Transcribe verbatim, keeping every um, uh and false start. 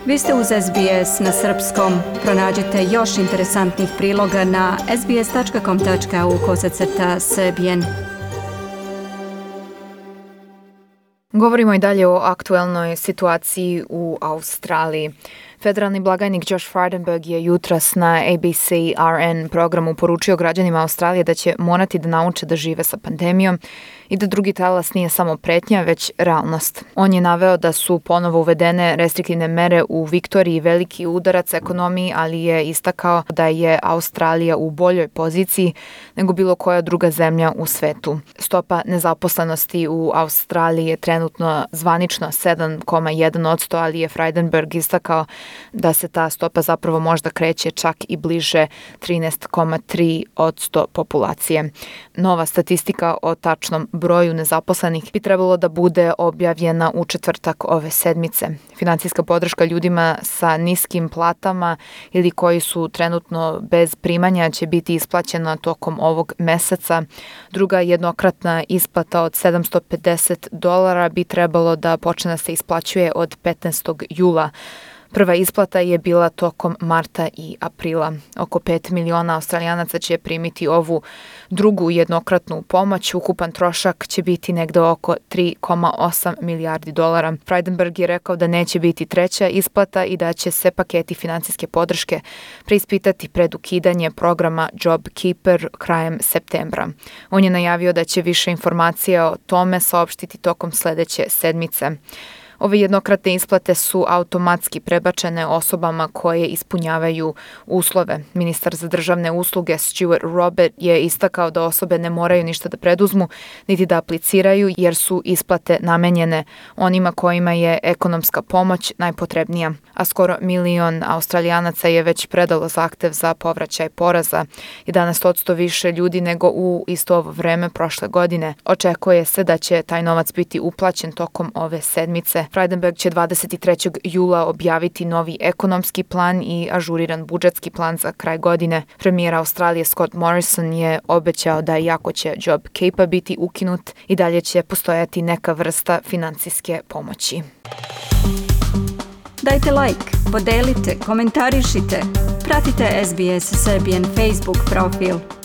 Vi ste uz S B S na srpskom. Pronađite još interesantnih priloga na sbs.com tačka au kosacrta srbijen. Govorimo i dalje o aktuelnoj situaciji u Australiji. Federalni blagajnik Josh Frydenberg je jutros na A B C R N programu poručio građanima Australije da će morati da nauče da žive sa pandemijom i da drugi talas nije samo pretnja, već realnost. On je naveo da su ponovo uvedene restriktivne mere u Viktoriji veliki udarac ekonomiji, ali je istakao da je Australija u boljoj poziciji nego bilo koja druga zemlja u svetu. Stopa nezaposlenosti u Australiji je trenutno zvanično sedam zarez jedan posto, ali je Frydenberg istakao da se ta stopa zapravo možda kreće čak i bliže trinaest zarez tri posto populacije. Nova statistika o tačnom broju nezaposlenih bi trebalo da bude objavljena u četvrtak ove sedmice. Finansijska podrška ljudima sa niskim platama ili koji su trenutno bez primanja će biti isplaćena tokom ovog meseca. Druga jednokratna isplata od sedamsto pedeset dolara bi trebalo da počne da se isplaćuje od petnaestog jula. Prva isplata je bila tokom marta i aprila. Oko pet miliona Australijanaca će primiti ovu drugu jednokratnu pomoć. Ukupan trošak će biti negde oko tri zarez osam milijardi dolara. Frydenberg je rekao da neće biti treća isplata i da će se paketi finansijske podrške preispitati pred ukidanje programa JobKeeper krajem septembra. On je najavio da će više informacija o tome saopštiti tokom sledeće sedmice. Ove jednokratne isplate su automatski prebačene osobama koje ispunjavaju uslove. Ministar za državne usluge Stuart Robert je istakao da osobe ne moraju ništa da preduzmu niti da apliciraju jer su isplate namenjene onima kojima je ekonomska pomoć najpotrebnija. A skoro milion Australijanaca je već predalo zahtev za povraćaj poreza, jedanaest posto više ljudi nego u isto ovo vreme prošle godine. Očekuje se da će taj novac biti uplaćen tokom ove sedmice. Frydenberg će dvadeset trećeg jula objaviti novi ekonomski plan i ažuriran budžetski plan za kraj godine. Premijer Australije Scott Morrison je obećao da iako će JobKeeper biti ukinut, i dalje će postojati neka vrsta finansijske pomoći. Dajte like, podelite, komentarišite. Pratite S B S Serbian Facebook profil.